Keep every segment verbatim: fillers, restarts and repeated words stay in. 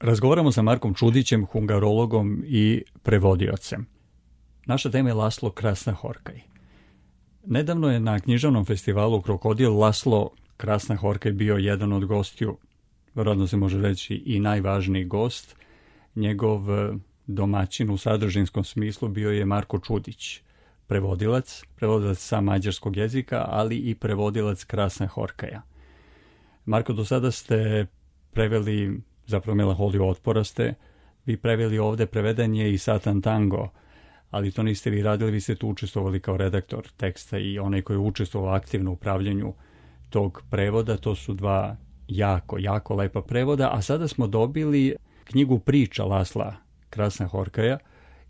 Razgovaramo sa Markom Čudićem, hungarologom i prevodiocem. Naša tema je Laslo Krasna-Horkaj. Nedavno je na književnom festivalu Krokodil Laslo Krasna-Horkaj bio jedan od gostiju, vjerojatno se može reći i najvažniji gost. Njegov domaćin u sadržinskom smislu bio je Marko Čudić, prevodilac, prevodilac sa mađarskog jezika, ali i prevodilac Krasna-Horkaja. Marko, do sada ste preveli, zapravo Melanholiju otpora ste, vi preveli ovde, preveden je i Satan Tango, ali to niste vi radili, vi ste tu učestvovali kao redaktor teksta i onaj koji je učestvovao aktivno u upravljanju tog prevoda. To su dva jako, jako lepa prevoda, a sada smo dobili knjigu priča Lasla Krasna-Horkaja,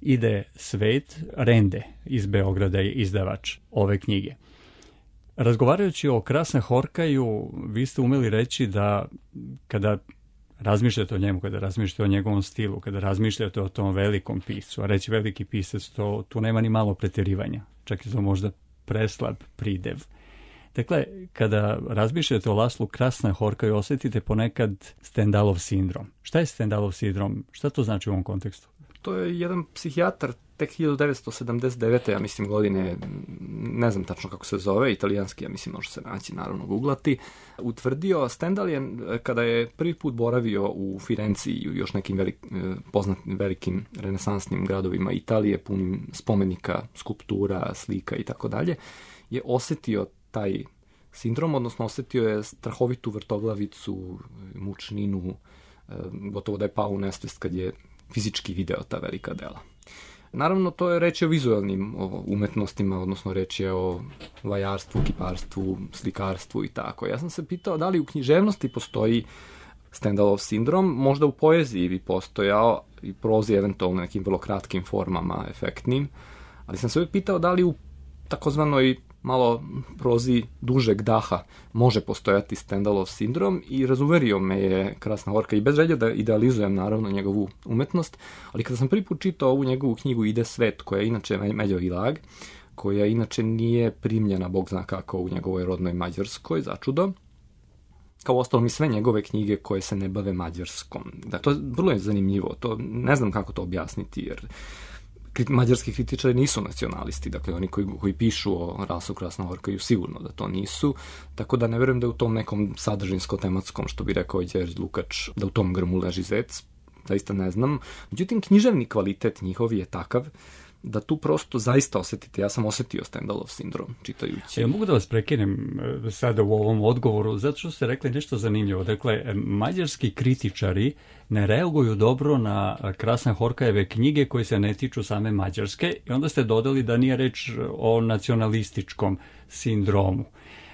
Ide svet, Rende iz Beograda je izdavač ove knjige. Razgovarajući o Krasna-Horkaju, vi ste umeli reći da kada razmišljate o njemu, kada razmišljate o njegovom stilu, kada razmišljate o tom velikom piscu, a reći veliki pisac, to, tu nema ni malo pretjerivanja, čak i to možda preslab pridev. Dakle, kada razmišljate o Laslu Krasna-Horkaju, osjetite ponekad Stendhalov sindrom. Šta je Stendhalov sindrom? Šta to znači u ovom kontekstu? To je jedan psihijatar tek hiljadu devetsto sedamdeset devete. ja mislim godine, ne znam tačno kako se zove, italijanski, ja mislim može se naći, naravno googlati, utvrdio. Stendhal je, kada je prvi put boravio u Firenci i u još nekim velik, poznatim velikim renesansnim gradovima Italije, punim spomenika, skulptura, slika i tako dalje, je osjetio taj sindrom, odnosno osjetio je strahovitu vrtoglavicu, mučninu, gotovo da je pao u nesvest kad je fizički video ta velika dela. Naravno, to je reč o vizualnim umetnostima, odnosno reč je o vajarstvu, kiparstvu, slikarstvu i tako. Ja sam se pitao da li u književnosti postoji Stendhalov sindrom, možda u poeziji bi postojao i prozi eventualno nekim vrlo kratkim formama, efektnim, ali sam se uvijek pitao da li u takozvanoj malo prozi dužeg daha može postojati Stendhalov sindrom i razuverio me je Krasna-Horkaj i bez želje da idealizujem naravno njegovu umetnost, ali kada sam prvi put čitao ovu njegovu knjigu Ide svet, koja je inače Međovi lag, koja inače nije primljena, bog zna kako, u njegovoj rodnoj Mađarskoj, začudo, kao ostalo mi sve njegove knjige koje se ne bave Mađarskom. Da, to je vrlo je zanimljivo, to ne znam kako to objasniti, jer mađarski kritičari nisu nacionalisti, dakle oni koji, koji pišu o Laslu Krasna-Horkaju sigurno da to nisu, tako da ne verujem da u tom nekom sadržinsko-tematskom, što bi rekao i Đerđ Lukač, da u tom grmu leži zec, zaista ne znam. Međutim, književni kvalitet njihov je takav da tu prosto zaista osjetite, ja sam osjetio Stendhalov sindrom čitajući. Ja mogu da vas prekinem sada u ovom odgovoru, zato što ste rekli nešto zanimljivo. Dakle, mađarski kritičari ne reaguju dobro na Krasna-Horkajeve knjige koje se ne tiču same Mađarske i onda ste dodali da nije reč o nacionalističkom sindromu.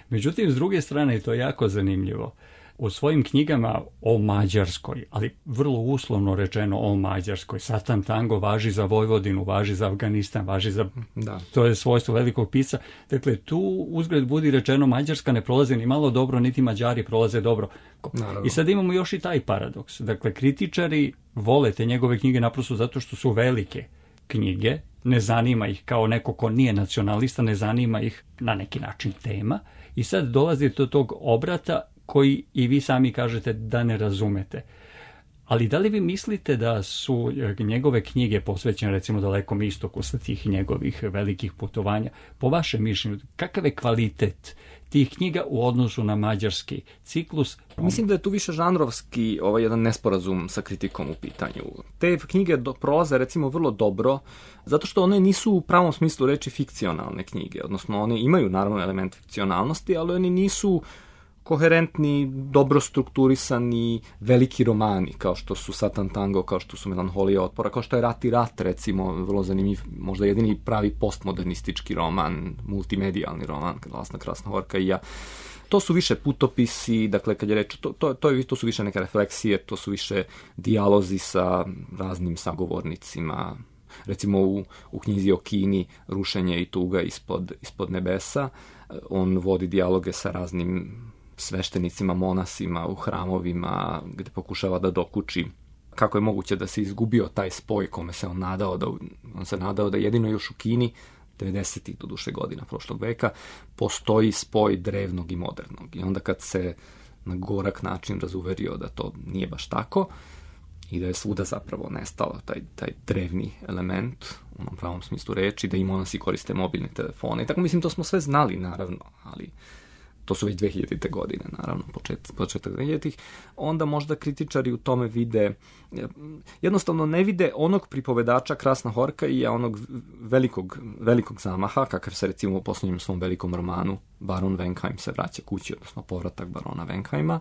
Međutim, s druge strane, i to je jako zanimljivo, u svojim knjigama o Mađarskoj, ali vrlo uslovno rečeno o Mađarskoj, Satan Tango važi za Vojvodinu, važi za Afganistan, važi za... Da. To je svojstvo velikog pisca. Dakle, tu uzgled budi rečeno Mađarska ne prolaze ni malo dobro, niti Mađari prolaze dobro. Naravno. I sad imamo još i taj paradoks. Dakle, kritičari vole te njegove knjige naprosto zato što su velike knjige, ne zanima ih kao neko ko nije nacionalista, ne zanima ih na neki način tema. I sad dolazi do tog obrata koji i vi sami kažete da ne razumete. Ali da li vi mislite da su njegove knjige posvećene recimo Dalekom istoku sa tih njegovih velikih putovanja? Po vašem mišljenju, kakav je kvalitet tih knjiga u odnosu na mađarski ciklus? Mislim da je tu više žanrovski ovaj jedan nesporazum sa kritikom u pitanju. Te knjige do, prolaze recimo vrlo dobro, zato što one nisu u pravom smislu reči fikcionalne knjige, odnosno one imaju naravno element fikcionalnosti, ali oni nisu koherentni, dobro strukturisani, veliki romani, kao što su Satan Tango, kao što su Melanholija otpora, kao što je Rat i rat, recimo, vrlo zanimljiv, možda jedini pravi postmodernistički roman, multimedijalni roman, Lasla Krasna-Horkaja. To su više putopisi, dakle, kad je reč, to, to, to, je, to su više neke refleksije, to su više dijalozi sa raznim sagovornicima. Recimo u, u knjizi o Kini, Rušenje i tuga ispod, ispod nebesa, on vodi dijaloge sa raznim sveštenicima, monasima u hramovima, gde pokušava da dokuči kako je moguće da se izgubio taj spoj kome se on nadao da, on se nadao da jedino još u Kini, devedesetih do duše godina prošlog veka, postoji spoj drevnog i modernog. I onda kad se na gorak način razuverio da to nije baš tako, i da je svuda zapravo nestao taj, taj drevni element u onom pravom smislu reči, da i monasi koriste mobilne telefone. I tako mislim, to smo sve znali, naravno, ali to su već dvehiljadite godine, naravno, počet, početak dvehiljaditih, onda možda kritičari u tome vide, jednostavno ne vide onog pripovedača Krasna Horka i onog velikog, velikog zamaha, kakav se recimo u posljednjem svom velikom romanu Baron Venkheim se vraća kući, odnosno povratak barona Venkheima,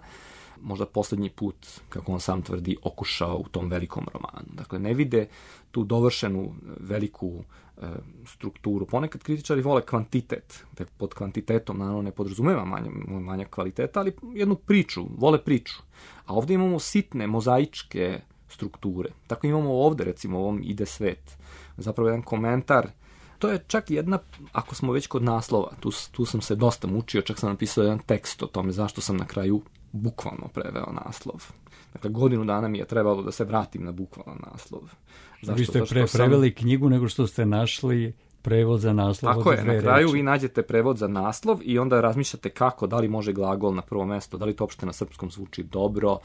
možda posljednji put, kako on sam tvrdi, okušao u tom velikom romanu. Dakle, ne vide tu dovršenu veliku e, strukturu. Ponekad kritičari vole kvantitet. Dakle, pod kvantitetom, naravno, ne podrazumeva manja, manja kvaliteta, ali jednu priču, vole priču. A ovdje imamo sitne, mozaičke strukture. Tako imamo ovdje, recimo, u ovom Ide svet. Zapravo jedan komentar. To je čak jedna, ako smo već kod naslova, tu, tu sam se dosta mučio, čak sam napisao jedan tekst o tome zašto sam na kraju bukvalno preveo naslov. Dakle, godinu dana mi je trebalo da se vratim na bukvalan naslov. Zašto? Vi ste pre preveli sam... knjigu nego što ste našli prevod za naslov. Tako je, na kraju reči. Vi nađete prevod za naslov i onda razmišljate kako, da li može glagol na prvo mesto, da li to uopšte na srpskom zvuči dobro.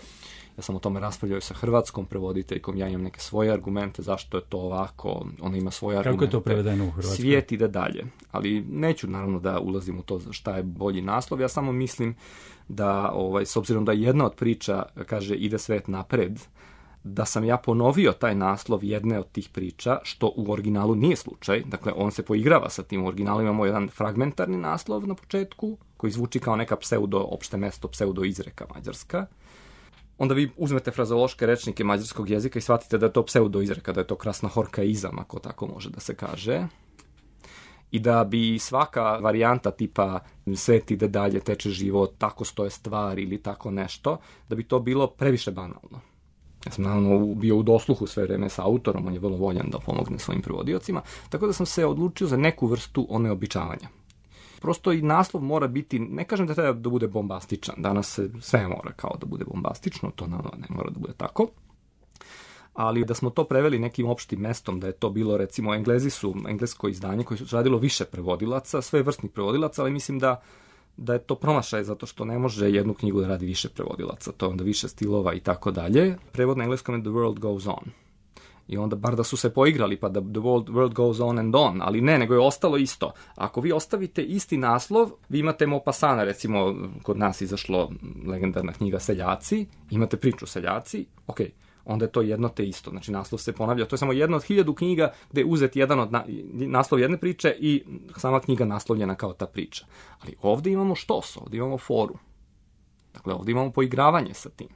Ja sam o tome raspravljao sa hrvatskom prevoditeljkom, ja imam neke svoje argumente, zašto je to ovako, ona ima svoje argumente. Kako je to prevedeno u hrvatskom? Svijet ide dalje, ali neću naravno da ulazim u to šta je bolji naslov, ja samo mislim da, ovaj, s obzirom da jedna od priča kaže ide svet napred, da sam ja ponovio taj naslov jedne od tih priča, što u originalu nije slučaj, dakle on se poigrava sa tim, u originalu imamo jedan fragmentarni naslov na početku, koji zvuči kao neka pseudo, opšte mesto, pseudo izreka mađarska. Onda vi uzmete frazološke rečnike mađarskog jezika i shvatite da je to pseudo izreka, da je to Krasna Horkaizam, ako tako može da se kaže. I da bi svaka varijanta tipa svet ide dalje, teče život, tako stoje stvari ili tako nešto, da bi to bilo previše banalno. Ja sam naravno bio u dosluhu sve vreme sa autorom, on je vrlo voljan da pomogne svojim prevodiocima, tako da sam se odlučio za neku vrstu oneobičavanja. Prosto i naslov mora biti, ne kažem da treba da bude bombastičan, danas se sve mora kao da bude bombastično, to naravno ne mora da bude tako, ali da smo to preveli nekim opštim mestom, da je to bilo, recimo, Englezi su, englesko izdanje koje su radilo više prevodilaca, sve vrstnih prevodilaca, ali mislim da, da je to promašaj, zato što ne može jednu knjigu da radi više prevodilaca, to je onda više stilova i tako dalje. Prevod na engleskom je The World Goes On. I onda bar da su se poigrali, pa da the world, world goes on and on, ali ne, nego je ostalo isto. Ako vi ostavite isti naslov, vi imate Maupassana, recimo, kod nas izašlo legendarna knjiga Seljaci, imate priču Seljaci, ok, onda je to jedno te isto, znači naslov se ponavlja, to je samo jedna od hiljadu knjiga gde je uzet jedan od na, naslov jedne priče i sama knjiga naslovljena kao ta priča. Ali ovdje imamo štos, ovdje imamo foru. Dakle, ovdje imamo poigravanje sa tim.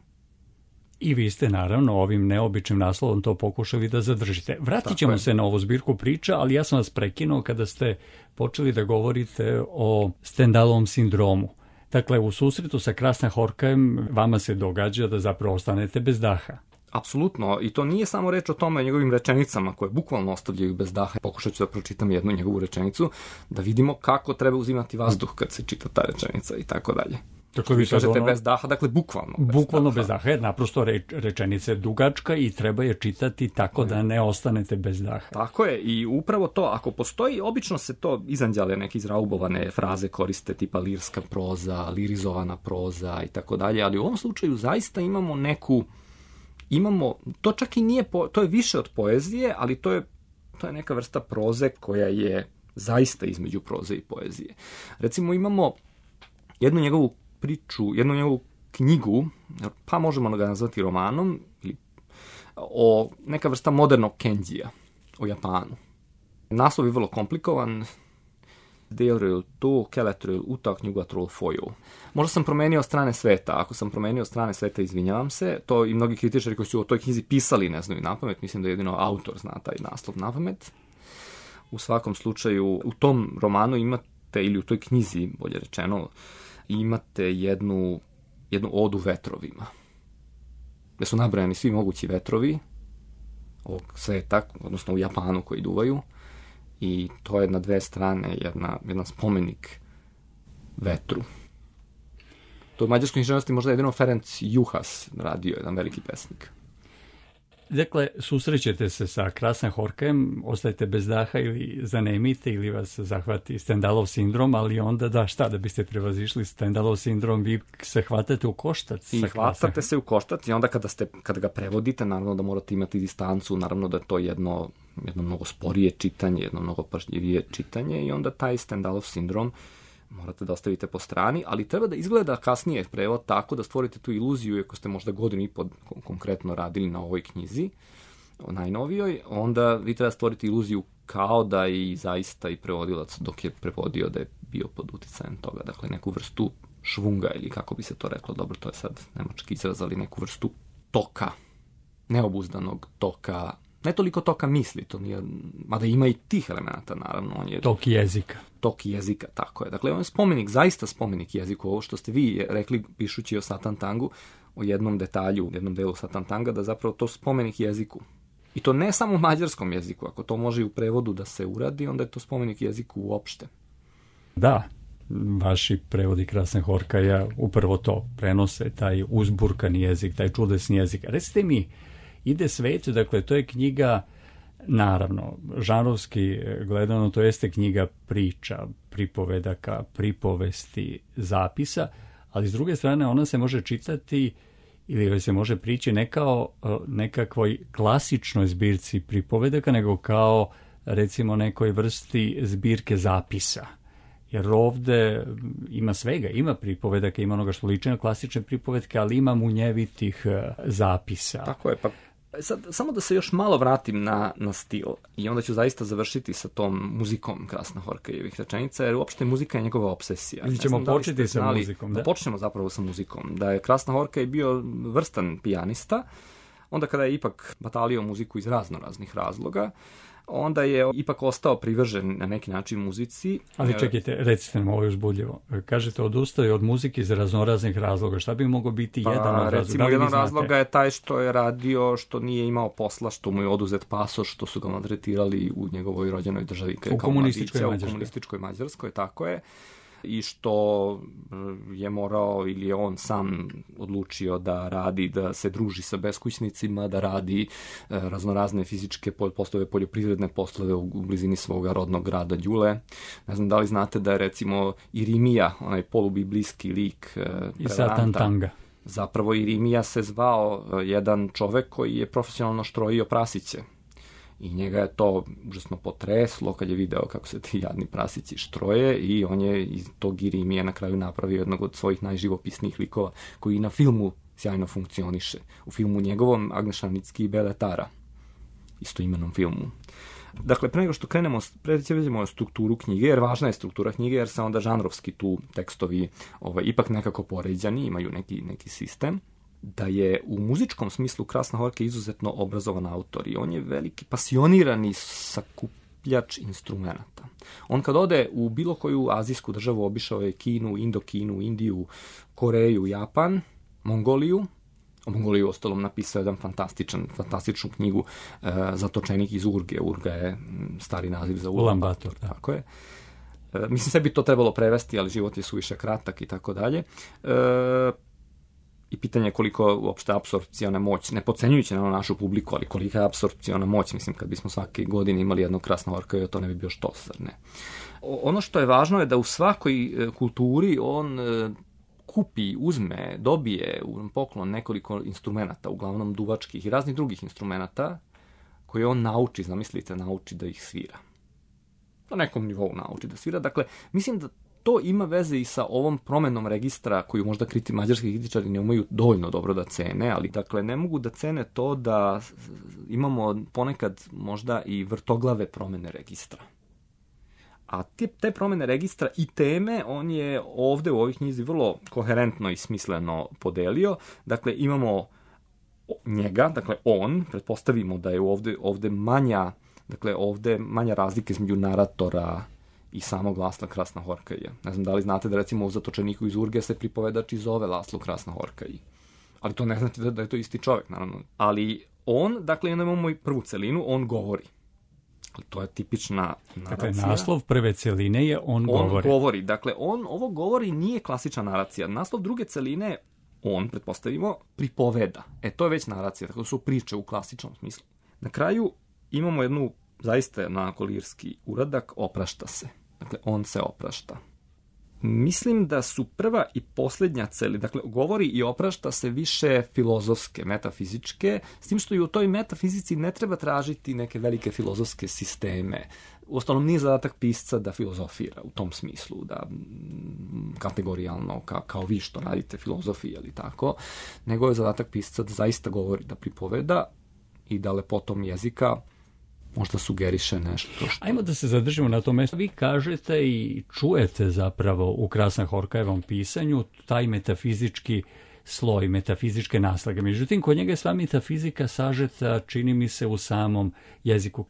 I vi ste naravno ovim neobičnim naslovom to pokušali da zadržite. Vratit ćemo se na ovu zbirku priča, ali ja sam vas prekinuo kada ste počeli da govorite o Stendhalovom sindromu. Dakle, u susretu sa Krasna Horkajem vama se događa da zapravo ostanete bez daha. Apsolutno, i to nije samo reč o tome, o njegovim rečenicama koje bukvalno ostavljaju bez daha. Pokušat ću da pročitam jednu njegovu rečenicu, da vidimo kako treba uzimati vazduh kad se čita ta rečenica i tako dalje. Tako vi kažete ono, bez daha, dakle bukvalno bez bukvalno daha. bez daha, jer naprosto reč, rečenica je dugačka i treba je čitati tako da ne ostanete bez daha. Tako je, i upravo to, ako postoji, obično se to izanđale neke izraubovane fraze koriste, tipa lirska proza, lirizovana proza i tako dalje, ali u ovom slučaju zaista imamo neku, imamo, to čak i nije, po, to je više od poezije, ali to je, to je neka vrsta proze koja je zaista između proze i poezije. Recimo imamo jednu njegovu priču, jednu njegovu knjigu, pa možemo ga nazvati romanom, o neka vrsta modernog Kenjija, o Japanu. Naslov je vrlo komplikovan. Délről tó keletről utak nyugatról folyó. Možda sam promenio strane sveta. Ako sam promenio strane sveta, izvinjavam se. To i mnogi kritičari koji su o toj knjizi pisali ne znaju napamet. Mislim da jedino autor zna taj naslov napamet. U svakom slučaju, u tom romanu imate, ili u toj knjizi, bolje rečeno, imate jednu, jednu odu vetrovima. Gde su nabrojani svi mogući vetrovi ovog sveta, odnosno u Japanu koji duvaju. I to je na dve strane jedna, jedan spomenik vetru. To u mađarskoj književnosti možda jedino Ferenc Juhas radio, jedan veliki pesnik. Dakle, susrećete se sa Krasnahorkajem, ostajete bez daha ili zanemite ili vas zahvati Stendhalov sindrom, ali onda da šta, da biste prevazišli Stendhalov sindrom, vi se hvatate u koštac. I hvatate se u koštac i onda kada, ste, kada ga prevodite, naravno da morate imati distancu, naravno da je to jedno, jedno mnogo sporije čitanje, jedno mnogo pažljivije čitanje i onda taj Stendhalov sindrom morate da ostavite po strani, ali treba da izgleda kasnije prevod tako da stvorite tu iluziju, ako ste možda godinu i po konkretno radili na ovoj knjizi, o najnovijoj, onda vi treba stvoriti iluziju kao da i zaista i prevodilac dok je prevodio da je bio pod uticajem toga, dakle neku vrstu švunga ili kako bi se to reklo, dobro, to je sad nemački izraz, ali neku vrstu toka, neobuzdanog toka, ne toliko toka misli, to nije, mada ima i tih elemenata, naravno. On je tok jezika. Tok jezika, tako je. Dakle, on je spomenik, zaista spomenik jeziku, ovo što ste vi rekli pišući o Satan Tangu, o jednom detalju, u jednom delu Satan Tanga, da zapravo to spomenik jeziku. I to ne samo u mađarskom jeziku, ako to može i u prevodu da se uradi, onda je to spomenik jeziku uopšte. Da, vaši prevodi Krasnahorkaja upravo to prenose, taj uzburkani jezik, taj čudesni jezik. Recite mi, Ide svet, dakle, to je knjiga, naravno, žanrovski gledano, to jeste knjiga priča, pripovedaka, pripovesti, zapisa, ali s druge strane ona se može čitati ili se može prići ne kao nekakvoj klasičnoj zbirci pripovedaka, nego kao, recimo, nekoj vrsti zbirke zapisa. Jer ovde ima svega, ima pripovedaka, ima onoga što liči na klasične pripovedke, ali ima munjevitih zapisa. Tako je, pa sad, samo da se još malo vratim na, na stil i onda ću zaista završiti sa tom muzikom Krasnahorkajevih rečenica, jer uopšte muzika je njegova obsesija. Mi ćemo da početi sa znali, muzikom. Da? Da počnemo zapravo sa muzikom. Da je Krasnahorkaj bio vrstan pijanista, onda kada je ipak batalio muziku iz razno raznih razloga, onda je ipak ostao privržen na neki način muzici. Ali čekajte, recite nam ovo je uzbudljivo. Kažete, odustao je od muzike iz raznoraznih razloga. Šta bi mogao biti pa, jedan od razloga? Recimo, da jedan razloga je taj što je radio, što nije imao posla, što mu je oduzet pasoš, što su ga maltretirali u njegovoj rođenoj državi. U komunističkoj Mađarskoj. U komunističkoj Mađarskoj, tako je. I što je morao ili je on sam odlučio da radi, da se druži sa beskućnicima, da radi raznorazne fizičke poslove, poljoprivredne poslove u blizini svoga rodnog grada Đule. Ne znam da li znate da je recimo Irimija, onaj polubiblijski lik i Satan Tanga. Zapravo Irimija se zvao jedan čovek koji je profesionalno štrojio prasiće. I njega je to užasno potreslo kad je video kako se ti jadni prasići štroje i on je iz tog Irimija na kraju napravio jednog od svojih najživopisnijih likova koji i na filmu sjajno funkcioniše. U filmu njegovom Agneša Nicki i Beletara, istoimenom filmu. Dakle, pre nego što krenemo, prećemo strukturu knjige, jer važna je struktura knjige, jer se onda žanrovski tu tekstovi ovaj, ipak nekako poređani, imaju neki, neki sistem. Da je u muzičkom smislu Krasnahorkaj izuzetno obrazovan autor i on je veliki pasionirani sakupljač instrumenta. On kad ode u bilo koju azijsku državu, obišao je Kinu, Indokinu, Indiju, Koreju, Japan, Mongoliju. O Mongoliju ostalom napisao jedan fantastičan, fantastičnu knjigu e, Zatočenik iz Urge. Urga je stari naziv za Ulan-Bator. Tako je. E, mislim, sve bi to trebalo prevesti, ali život je suviše kratak i tako dalje. E, I pitanje je koliko uopšte apsorpciona moć, ne podcenjujući na našu publiku, ali kolika je apsorpciona moć, mislim, kad bismo svake godine imali jednog Krasnahorkaja, to ne bi bio štos, zar ne? Ono što je važno je da u svakoj kulturi on kupi, uzme, dobije u poklon nekoliko instrumenata, uglavnom duvačkih i raznih drugih instrumenata, koje on nauči, zamislite, nauči da ih svira. Na nekom nivou nauči da svira. Dakle, mislim da to ima veze i sa ovom promenom registra koju možda kriti mađarski kritičari ne umeju dovoljno dobro da cene, ali dakle ne mogu da cene to da imamo ponekad možda i vrtoglave promene registra. A te, te promene registra i teme on je ovde u ovih knjizi vrlo koherentno i smisleno podelio. Dakle, imamo njega, dakle on, pretpostavimo da je ovde, ovde manja, dakle ovde manja razlika između naratora i samog Lasla Krasnahorkaja. Ne znam da li znate da recimo u Zatočeniku iz Urge se pripovedač i zove Laslo Krasnahorkaj. Ali to ne znači da, da je to isti čovjek, naravno. Ali on, dakle, imamo i prvu celinu, on govori. Ali to je tipična naracija. Dakle, naslov prve celine je on, on govori. On govori. Dakle, on ovo govori nije klasična naracija. Naslov druge celine, on, pretpostavimo, pripoveda. E, to je već naracija, tako da su priče u klasičnom smislu. Na kraju imamo jednu zaista onako lirski uradak, oprašta se. Dakle, on se oprašta. Mislim da su prva i posljednja celi, dakle, govori i oprašta se više filozofske, metafizičke, s tim što i u toj metafizici ne treba tražiti neke velike filozofske sisteme. Uostalom, nije zadatak pisca da filozofira u tom smislu, da kategorijalno, ka, kao vi što radite filozofije ili tako, nego je zadatak pisca da zaista govori, da pripoveda i da lepotom jezika možda sugeriše nešto. Što... Ajmo da se zadržimo na tom mjestu. Vi kažete i čujete zapravo u Krasna Horkajevom pisanju taj metafizički sloj, metafizičke naslage. Međutim, kod njega je sva metafizika sažeta, čini mi se, u samom jeziku.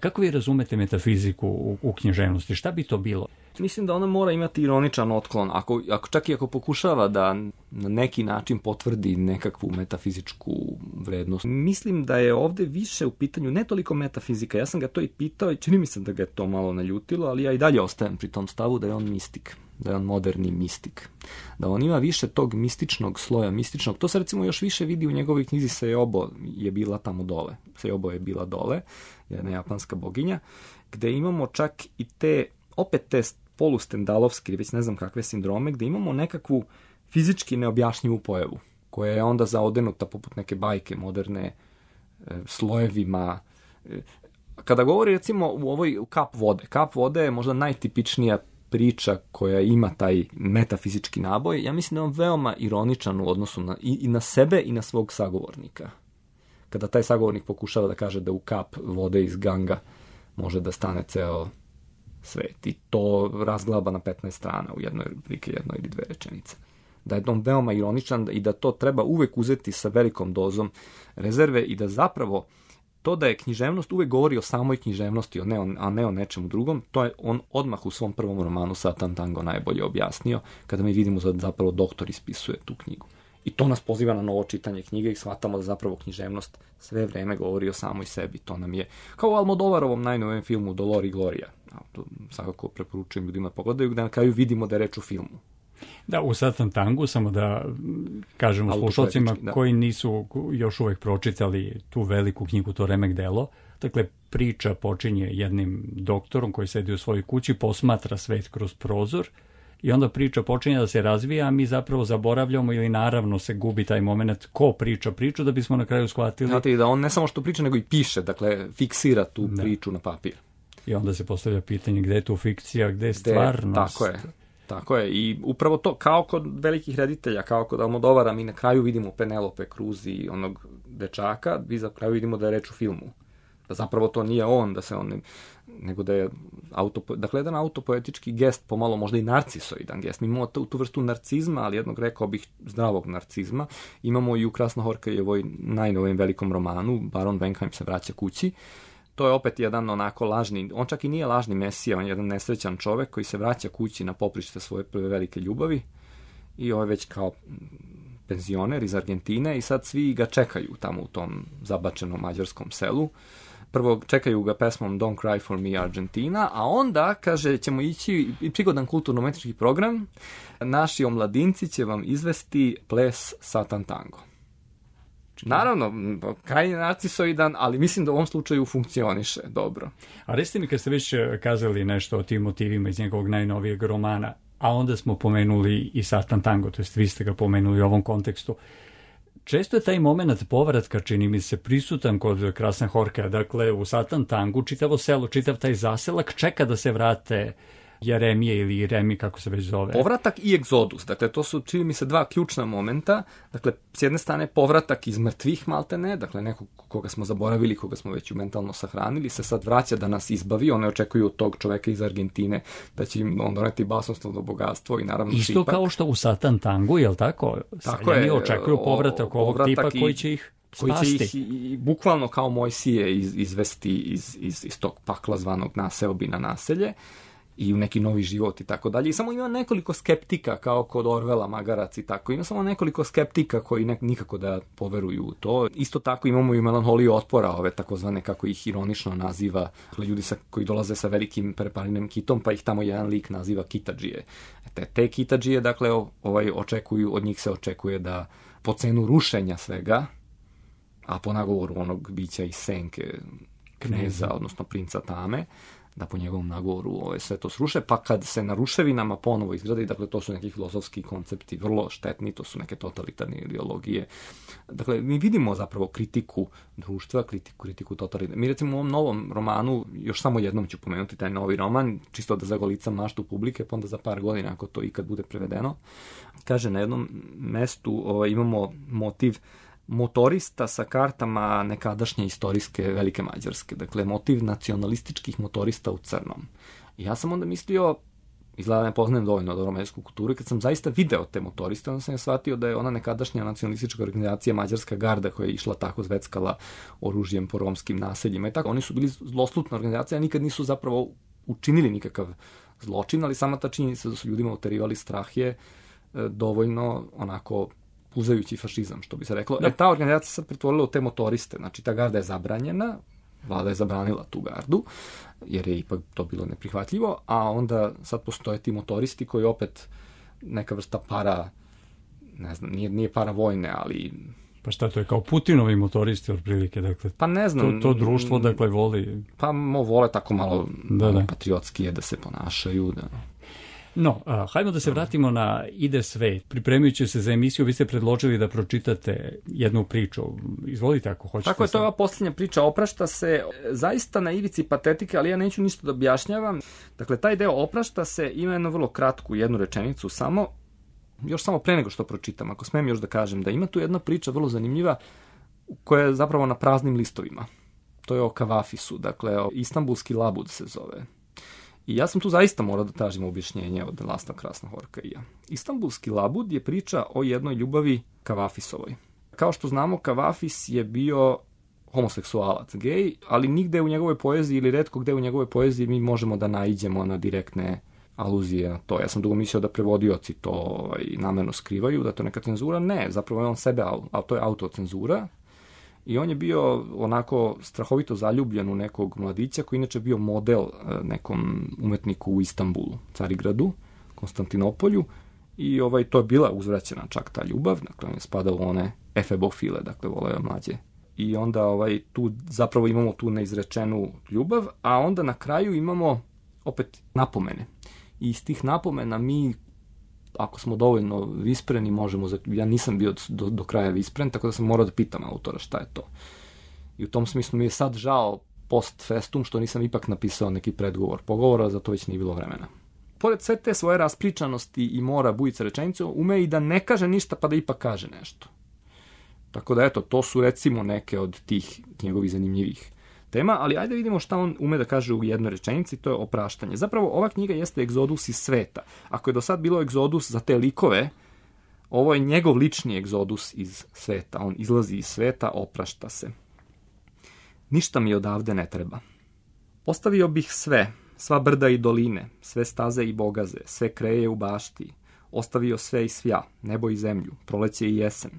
Kako vi razumete metafiziku u, u književnosti? Šta bi to bilo? Mislim da ona mora imati ironičan otklon. Ako, ako čak i ako pokušava da na neki način potvrdi nekakvu metafizičku vrednost. Mislim da je ovde više u pitanju ne toliko metafizika. Ja sam ga to i pitao i čini mi se da ga je to malo naljutilo, ali ja i dalje ostajem pri tom stavu da je on mistik. Da je on moderni mistik. Da on ima više tog mističnog sloja, mističnog. To se recimo još više vidi u njegovoj knjizi Sejobo je bila tamo dole. Sejobo je bila dole, jedna japanska boginja, gde imamo čak i te, opet te polustendalovske, već ne znam kakve sindrome, gde imamo nekakvu fizički neobjašnjivu pojavu, koja je onda zaodenuta poput neke bajke moderne e, slojevima. E, kada govori recimo u ovoj kap vode, kap vode je možda najtipičnija priča koja ima taj metafizički naboj. Ja mislim da je on veoma ironičan u odnosu na, i, i na sebe i na svog sagovornika. Kada taj sagovornik pokušava da kaže da u kap vode iz Ganga može da stane ceo svet. I to razglaba na petnaest strana u jednoj rubrike, jednoj ili dve rečenice. Da je on veoma ironičan i da to treba uvek uzeti sa velikom dozom rezerve i da zapravo to da je književnost uvek govori o samoj književnosti, a ne o nečemu drugom, to je on odmah u svom prvom romanu Satan Tango najbolje objasnio, kada mi vidimo da zapravo doktor ispisuje tu knjigu. I to nas poziva na novo čitanje knjige i shvatamo da zapravo književnost sve vreme govori o samoj sebi. To nam je, kao u Almodovarovom najnovijem filmu Dolor i Gloria. To svakako preporučujem ljudima pogledaju, gde na kraju vidimo da je reč o filmu. Da, u Satan Tangu, samo da kažemo slušalcima koji nisu još uvek pročitali tu veliku knjigu, to remek delo. Dakle, priča počinje jednim doktorom koji sedi u svojoj kući, posmatra svet kroz prozor i onda priča počinje da se razvija, a mi zapravo zaboravljamo ili naravno se gubi taj moment ko priča priču da bismo na kraju shvatili. Znate da on ne samo što priča, nego i piše, dakle fiksira tu da. priču na papir. I onda se postavlja pitanje gde je tu fikcija, gde je stvarnost. Tako je. Tako je, i upravo to, kao kod velikih reditelja, kao kod Almodovara, mi na kraju vidimo Penelope Cruz i onog dečaka, vi za kraju vidimo da je reč o filmu. Da zapravo to nije on, da se on, nego da je auto, dakle, jedan autopoetički gest, pomalo možda i narcisoidan gest. Mi imamo tu, tu vrstu narcizma, ali jednog, rekao bih, zdravog narcizma. Imamo i u Krasna Horkajevoj najnovijem velikom romanu, Baron Wenckheim se vraća kući. To je opet jedan onako lažni, on čak i nije lažni mesija, on je jedan nesrećan čovek koji se vraća kući na poprište svoje prve velike ljubavi i ovo je već kao penzioner iz Argentine i sad svi ga čekaju tamo u tom zabačenom mađarskom selu. Prvo čekaju ga pesmom Don't Cry for Me Argentina, a onda, kaže, ćemo ići i prigodan kulturno-umetnički program, naši omladinci će vam izvesti ples Satan Tango. Naravno, krajnje narcisoidan, ali mislim da u ovom slučaju funkcioniše dobro. A recite mi, kad ste već kazali nešto o tim motivima iz njegovog najnovijeg romana, a onda smo pomenuli i Satan Tango, to jest vi ste ga pomenuli u ovom kontekstu, često je taj moment povratka, čini mi se, prisutan kod Krasna Horkaja. Dakle, u Satan Tangu čitavo selo, čitav taj zaselak čeka da se vrate Jeremije ili Jeremi, kako se već zove. Povratak i egzodus. Dakle, to su, čini mi se, dva ključna momenta. Dakle, s jedne strane, povratak iz mrtvih maltene, dakle, nekog koga smo zaboravili, koga smo već mentalno sahranili, se sad vraća da nas izbavi. One očekuju od tog čoveka iz Argentine da će im on doneti basnoslovno bogatstvo i naravno isto šipak. Kao što u Satan Tangu, je li tako? Tako je. Očekuju povratak ovog povratak tipa koji će ih koji spasti. će ih i, i, bukvalno kao Mojsije iz, izvesti iz, iz, iz tog pakla zvanog naseobina naselje. i u neki novi život i tako dalje. I samo ima nekoliko skeptika, kao kod Orvela, Magarac i tako. Ima samo nekoliko skeptika koji ne, nikako da poveruju u to. Isto tako imamo i melanholiju otpora, ove takozvane, kako ih ironično naziva, ljudi sa, koji dolaze sa velikim preparinim kitom, pa ih tamo jedan lik naziva kitadžije. Te, te kitadžije, dakle, ovaj, očekuju, od njih se očekuje da po cenu rušenja svega, a po nagovoru onog bića iz senke, kneza, odnosno princa Tame, da po njegovom nagovoru ove, sve to sruše, pa kad se na ruševinama ponovo izgrade, dakle to su neki filozofski koncepti vrlo štetni, to su neke totalitarne ideologije. Dakle, mi vidimo zapravo kritiku društva, kritiku, kritiku totalitarne. Mi recimo u ovom novom romanu, još samo jednom ću pomenuti taj novi roman, čisto da zagolicam maštu publike, pa onda za par godina, ako to ikad bude prevedeno, kaže na jednom mestu ovaj, imamo motiv motorista sa kartama nekadašnje istorijske Velike Mađarske. Dakle, motiv nacionalističkih motorista u crnom. I ja sam onda mislio, izgleda ne poznajem dovoljno dobro mađarsku kulturu, kad sam zaista video te motoriste, onda sam je shvatio da je ona nekadašnja nacionalistička organizacija Mađarska garda koja je išla tako zveckala oružjem po romskim naseljima i tako. Oni su bili zloslutna organizacija, nikad nisu zapravo učinili nikakav zločin, ali sama ta činjenica da su ljudima uterivali strah je dovoljno onako puzajući fašizam, što bi se reklo. Da. E, ta organizacija sad pretvorila u te motoriste, znači ta garda je zabranjena, vlada je zabranila tu gardu, jer je ipak to bilo neprihvatljivo, a onda sad postoje ti motoristi koji opet neka vrsta para, ne znam, nije, nije para vojne, ali... Pa šta, to je kao Putinovi motoristi otprilike, dakle... Pa ne znam... To, to društvo, dakle, voli... Pa mo, vole tako malo, da, malo da. patriotski je da se ponašaju, da... No, a, hajmo da se vratimo na Ide svet. Pripremajući se za emisiju, vi ste predložili da pročitate jednu priču. Izvolite ako hoćete. Tako je, to je ova posljednja priča. Oprašta se zaista na ivici patetike, ali ja neću ništa da objašnjavam. Dakle, taj deo Oprašta se ima jednu vrlo kratku, jednu rečenicu samo. Još samo pre nego što pročitam, ako smem još da kažem, da ima tu jedna priča vrlo zanimljiva koja je zapravo na praznim listovima. To je o Kavafisu, dakle, o Istanbulski labud se zove. I ja sam tu zaista morao da tražim objašnjenje od Lasla Krasna Horkaija. Istanbulski labud je priča o jednoj ljubavi Kavafisovoj. Kao što znamo, Kavafis je bio homoseksualac, gej, ali nigde u njegovoj poeziji ili retko gde u njegovoj poeziji mi možemo da naiđemo na direktne aluzije na to. Ja sam dugo mislio da prevodioci to ovaj, namerno skrivaju, da to neka cenzura. Ne, zapravo je on sebe, a to je autocenzura. I on je bio onako strahovito zaljubljen u nekog mladića koji inače bio model nekom umetniku u Istanbulu, Carigradu, Konstantinopolju. I ovaj, to je bila uzvraćena čak ta ljubav, dakle on je spadao u one efebofile, dakle voleo mlađe. I onda ovaj, tu zapravo imamo tu neizrečenu ljubav, a onda na kraju imamo opet napomene. I iz tih napomena mi, ako smo dovoljno vispreni, možemo... Ja nisam bio do, do kraja vispren, tako da sam morao da pitam autora šta je to. I u tom smislu mi je sad žao post festum što nisam ipak napisao neki predgovor pogovora, zato već nije bilo vremena. Pored sve te svoje raspričanosti i mora Bujica rečenicu, ume i da ne kaže ništa pa da ipak kaže nešto. Tako da eto, to su recimo neke od tih njegovih zanimljivih tema, ali ajde vidimo šta on ume da kaže u jednoj rečenici, to je opraštanje. Zapravo ova knjiga jeste egzodus iz sveta. Ako je do sad bilo egzodus za te likove, ovo je njegov lični egzodus iz sveta. On izlazi iz sveta, oprašta se. Ništa mi odavde ne treba. Ostavio bih sve, sva brda i doline, sve staze i bogaze, sve kreje u bašti. Ostavio sve i svja, nebo i zemlju, proleće i jesen.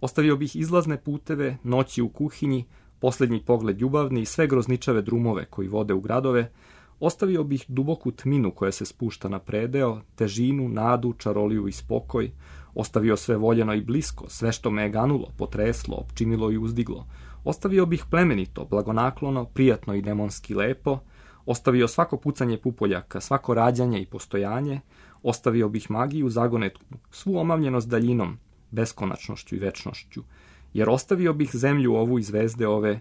Ostavio bih izlazne puteve, noći u kuhinji, posljednji pogled ljubavni i sve grozničave drumove koji vode u gradove. Ostavio bih duboku tminu koja se spušta na predeo, težinu, nadu, čaroliju i spokoj. Ostavio sve voljeno i blisko, sve što me je ganulo, potreslo, opčinilo i uzdiglo. Ostavio bih plemenito, blagonaklono, prijatno i demonski lepo. Ostavio svako pucanje pupoljaka, svako rađanje i postojanje. Ostavio bih magiju zagonetku, svu omamljenost daljinom, beskonačnošću i večnošću. Jer ostavio bih zemlju ovu i zvezde ove,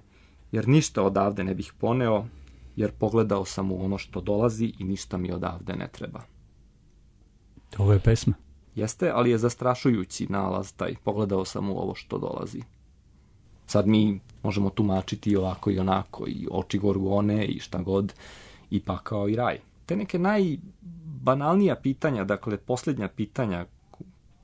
jer ništa odavde ne bih poneo, jer pogledao sam u ono što dolazi i ništa mi odavde ne treba. Ovo je pesma. Jeste, ali je zastrašujući nalaz taj, pogledao sam u ovo što dolazi. Sad mi možemo tumačiti i ovako i onako, i oči gorgone i šta god, i pakao i raj. Te neke najbanalnija pitanja, dakle posljednja pitanja,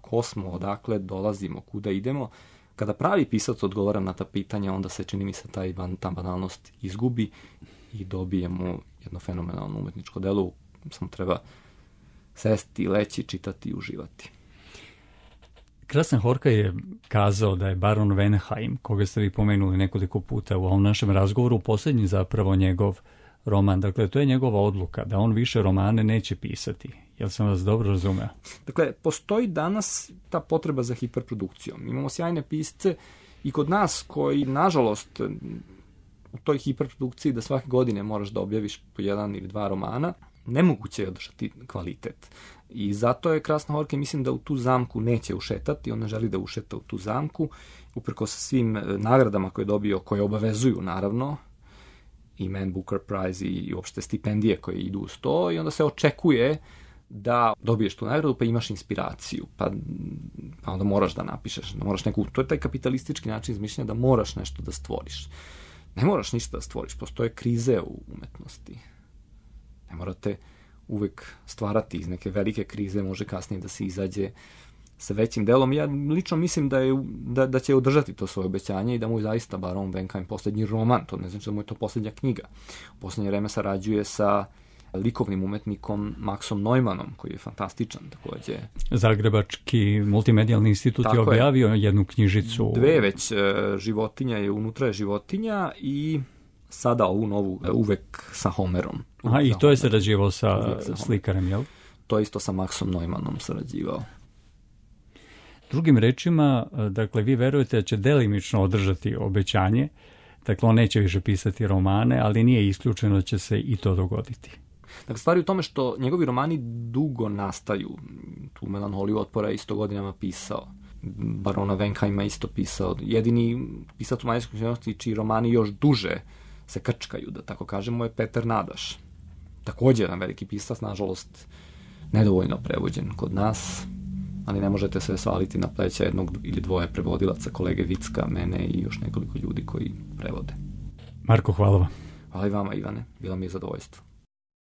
ko smo, odakle dolazimo, kuda idemo, kada pravi pisac odgovara na ta pitanja, onda se čini mi se taj, ta banalnost izgubi i dobijemo jedno fenomenalno umetničko delo samo treba sesti, leći, čitati i uživati. Krasna Horka je kazao da je baron Wenheim, koga ste vi pomenuli nekoliko puta u ovom našem razgovoru, posljednji zapravo njegov roman. Dakle, to je njegova odluka, da on više romane neće pisati. Jel sam vas dobro razumeo? Dakle, postoji danas ta potreba za hiperprodukcijom. Imamo sjajne pisce i kod nas koji, nažalost, u toj hiperprodukciji da svake godine moraš da objaviš po jedan ili dva romana, nemoguće je održati kvalitet. I zato je Krasna Horka, mislim da u tu zamku neće ušetati, on ne želi da ušeta u tu zamku, uprko sa svim nagradama koje je dobio, koje obavezuju, naravno, i Man Booker Prize i uopšte stipendije koje idu uz to, i onda se očekuje da dobiješ tu nagradu, pa imaš inspiraciju, pa, pa onda moraš da napišeš, da moraš neku, to je taj kapitalistički način izmišljanja da moraš nešto da stvoriš. Ne moraš ništa da stvoriš, postoje krize u umetnosti. Ne morate uvek stvarati iz neke velike krize, može kasnije da se izađe sa većim delom. Ja lično mislim da, je, da, da će održati to svoje obećanje i da mu je zaista baron Wenheim poslednji roman, to ne znači da mu je to poslednja knjiga. U poslednje vreme sarađuje sa likovnim umetnikom Maxom Neumannom, koji je fantastičan takođe. Zagrebački multimedijalni institut je objavio je. jednu knjižicu. Dve već, životinja je, unutra je životinja i sada ovu novu, uvek sa Homerom. Aha, i to je sarađivao sa, sa slikarem, jel? To isto sa Maxom Neumannom sarađivao. Drugim rečima, dakle, vi verujete da će delimično održati obećanje, dakle, on neće više pisati romane, ali nije isključeno da će se i to dogoditi. Dakle, stvari u tome što njegovi romani dugo nastaju. Tu Melanholiju otpora je isto godinama pisao. Barona Wenheima isto pisao. Jedini pisac u manjinskoj književnosti čiji romani još duže se krčkaju, da tako kažemo, je Peter Nadaš. Također jedan veliki pisac, nažalost, nedovoljno prevođen kod nas, ali ne možete se svaliti na pleća jednog ili dvoje prevodilaca, kolege Vicka, mene i još nekoliko ljudi koji prevode. Marko, hvala vam. Hvala i vama, Ivane. Bilo mi je zadovoljstvo.